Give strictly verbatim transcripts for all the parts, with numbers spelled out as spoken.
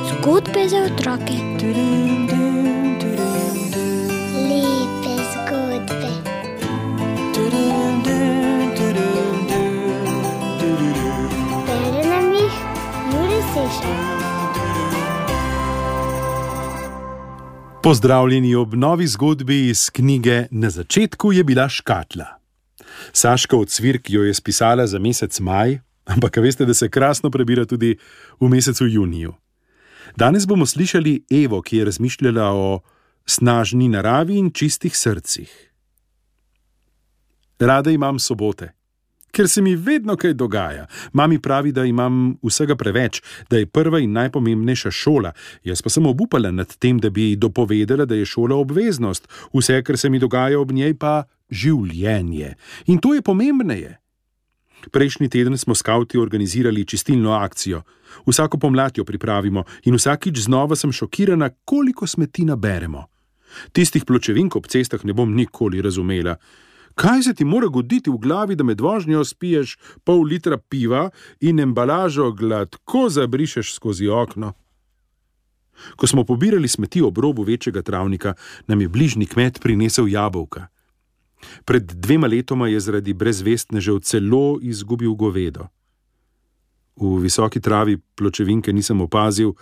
Zgodbe za otroke. Lepe zgodbe. Bere nam jih Jure Sešar. Pozdravljeni ob novi zgodbi iz knjige Na začetku je bila škatla. Saška Ocvirk jo je spisala za mesec maj, ampak veste, da se krasno prebira tudi v mesecu juniju. Danes bomo slišali Evo, ki je razmišljala o snažni naravi in čistih srcih. Rada imam sobote, ker se mi vedno kaj dogaja. Mami pravi, da imam vsega preveč, da je prva in najpomembnejša šola. Jaz pa sem obupala nad tem, da bi dopovedala, da je šola obveznost. Vse, kar se mi dogaja ob njej, pa življenje. In to je pomembneje. Prejšnji teden smo skavti organizirali čistilno akcijo. Vsako pomlad jo pripravimo in vsakič znova sem šokirana, koliko smeti naberemo. Tistih pločevink ob cestah ne bom nikoli razumela. Kaj se ti mora goditi v glavi, da med vožnjo spiješ pol litra piva in embalažo gladko zabrišeš skozi okno? Ko smo pobirali smeti ob robu večjega travnika, nam je bližnji kmet prinesel jabolka. Pred dvema letoma je zaradi brezvestnežev celo izgubil govedo. V visoki travi pločevinke nisem opazil,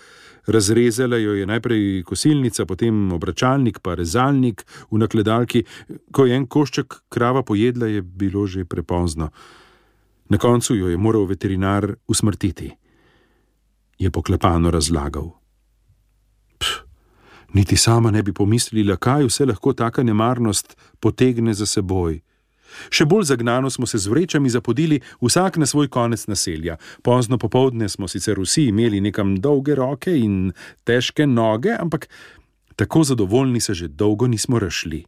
razrezala jo je najprej kosilnica, potem obračalnik, pa rezalnik v nakledalki. Ko je en košček krava pojedla, je bilo že prepozno. Na koncu jo je moral veterinar usmrtiti, je poklepano razlagal. Pff, niti sama ne bi pomislila, kaj vse lahko taka nemarnost potegne za seboj. Še bolj zagnano smo se z vrečami zapodili vsak na svoj konec naselja. Pozno popoldne smo sicer vsi imeli nekam dolge roke in težke noge, ampak tako zadovoljni se že dolgo nismo razšli.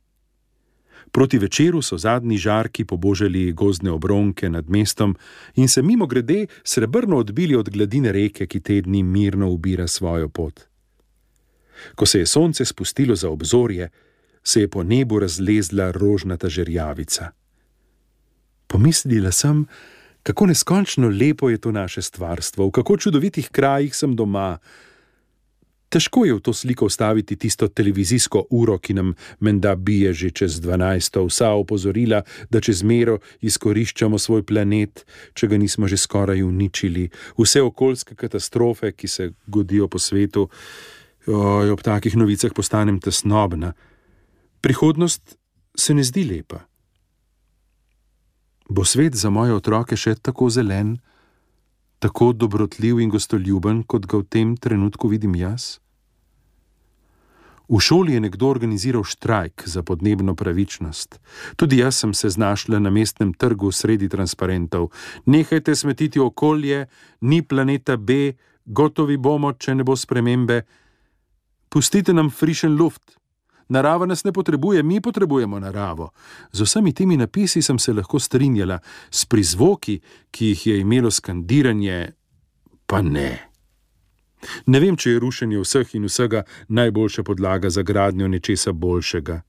Proti večeru so zadnji žarki pobožali gozdne obronke nad mestom in se mimogrede srebrno odbili od gladine reke, ki te dni mirno ubira svojo pot. Ko se je sonce spustilo za obzorje, se je po nebu razlezla rožnata žerjavica. Pomislila sem, kako neskončno lepo je to naše stvarstvo, v kako čudovitih krajih sem doma. Težko je v to sliko vstaviti tisto televizijsko uro, ki nam menda bije že čez dvanajsto, vsa opozorila, da čez mero izkoriščamo svoj planet, če ga nismo že skoraj uničili, vse okoljske katastrofe, ki se godijo po svetu. Oj, ob takih novicah postanem tesnobna. Prihodnost se ne zdi lepa. Bo svet za moje otroke še tako zelen, tako dobrotljiv in gostoljuben, kot ga v tem trenutku vidim jaz? V šoli je nekdo organiziral štrajk za podnebno pravičnost. Tudi jaz sem se znašla na mestnem trgu sredi transparentov. Nehajte smetiti okolje, ni planeta B, gotovi bomo, če ne bo spremembe. Pustite nam frišen luft. Narava nas ne potrebuje, mi potrebujemo naravo. Z vsemi temi napisi sem se lahko strinjala, s prizvoki, ki jih je imelo skandiranje, pa ne. Ne vem, če je rušenje vseh in vsega najboljša podlaga za gradnjo nečesa boljšega.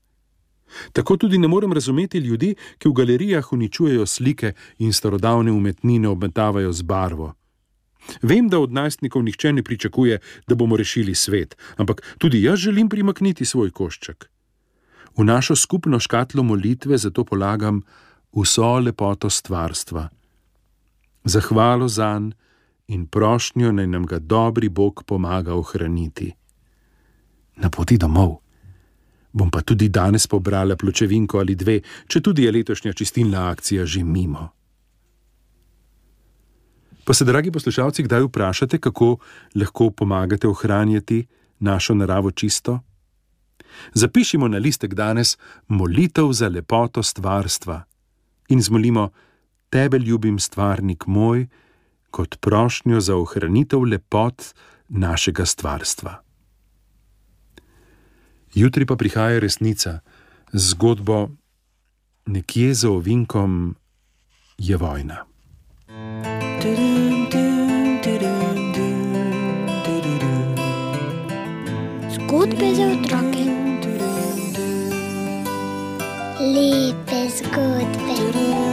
Tako tudi ne morem razumeti ljudi, ki v galerijah uničujejo slike in starodavne umetnine obmetavajo z barvo. Vem, da od najstnikov nihče ne pričakuje, da bomo rešili svet, ampak tudi jaz želim primakniti svoj košček. V našo skupno škatlo molitve zato polagam vso lepoto stvarstva. Zahvalo zanj in prošnjo, naj nam ga dobri Bog pomaga ohraniti. Na poti domov bom pa tudi danes pobrala pločevinko ali dve, če tudi je letošnja čistilna akcija že mimo. Pa se, dragi poslušalci, kdaj vprašate, kako lahko pomagate ohranjati našo naravo čisto? Zapišimo na listek danes molitev za lepoto stvarstva in zmolimo: Tebe ljubim, stvarnik moj, kot prošnjo za ohranitev lepot našega stvarstva. Jutri pa prihaja resnica z zgodbo Nekje za ovinkom je vojna. Zgodbe za otroke. Lepe zgodbe.